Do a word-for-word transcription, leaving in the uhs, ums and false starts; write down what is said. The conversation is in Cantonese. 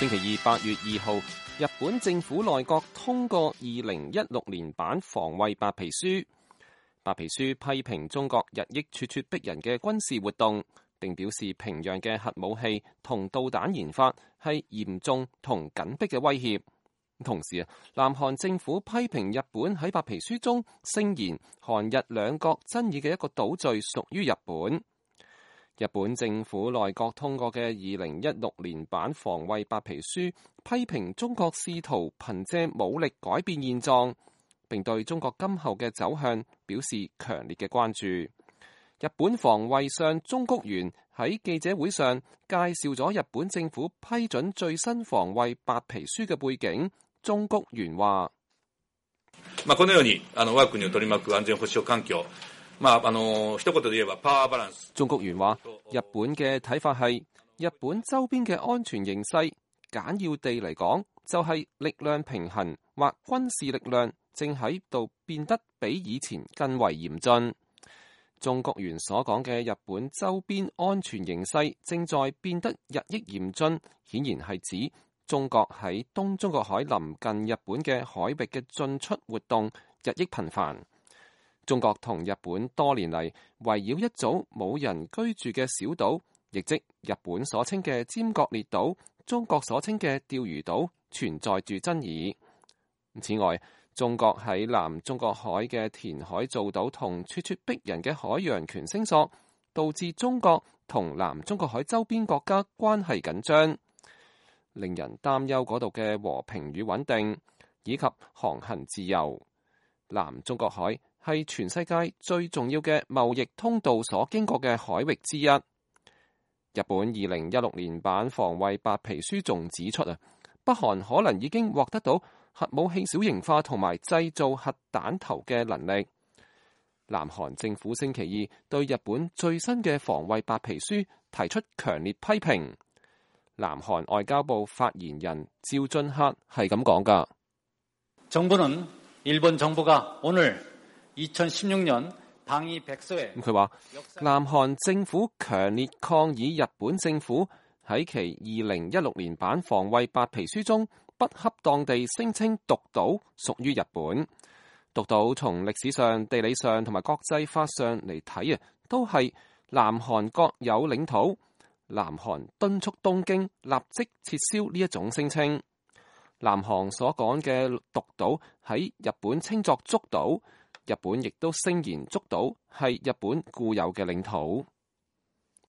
星期二八月二號，日本政府內閣通過二零一六年版防衛白皮書。白皮書批評中國日益咄咄逼人嘅軍事活動，並表示平壤嘅核武器同導彈研發係嚴重同緊迫嘅威脅。同時啊，南韓政府批評日本喺白皮書中聲言韓日兩國爭議嘅一個島嶼屬於日本。日本政府內閣通過嘅二零一六年版防衛白皮書批評中國試圖憑借武力改變現狀，並對中國今後嘅走向表示強烈嘅關注。日本防衛相中谷元喺記者會上介紹咗日本政府批准最新防衛白皮書嘅背景。中谷元話：まあこのようにあの我が國を取り巻く安全保障環境。まあ、あの一言で言えばパワーバランス。中谷元話：日本嘅睇法係，日本周邊嘅安全形勢，簡要地嚟講，就係力量平衡或軍事力量正喺度變得比以前更為嚴峻。中谷元所講嘅日本周邊安全形勢正在變得日益嚴峻，顯然係指中國喺東中國海臨近日本嘅海域嘅進出活動日益頻繁。中國同日本多年嚟圍繞一組冇人居住嘅小島，亦即日本所稱嘅尖閣列島，中國所稱嘅釣魚島，存在住爭議。此外，中國喺南中國海嘅填海造島同咄咄逼人嘅海洋權聲索，導致中國同南中國海周邊國家關係緊張，令人擔憂嗰度嘅和平與穩定，以及航行自由。南中國海係全世界最重要嘅貿易通道所經過嘅海域之一。日本二零一六年版防衛白皮書仲指出啊，北韓可能已經獲得到核武器小型化同埋製造核彈頭嘅能力。南韓政府星期二對日本最新嘅防衛白皮書提出強烈批評。南韓外交部發言人趙俊赫係咁講噶。정부는 일본 정부가 오늘 이천십육 년 방위 백서에佢話南韓政府強烈抗議日本政府喺其二零一六年版防衛白皮書中不恰當地聲稱獨島屬於日本。獨島從歷史上、地理上同埋國際法上嚟睇啊，都係南韓國有領土。南韓敦促東京立即撤銷呢一種聲稱。南韓所講嘅獨島喺日本稱作竹島，日本亦都聲言竹島係日本固有嘅領土。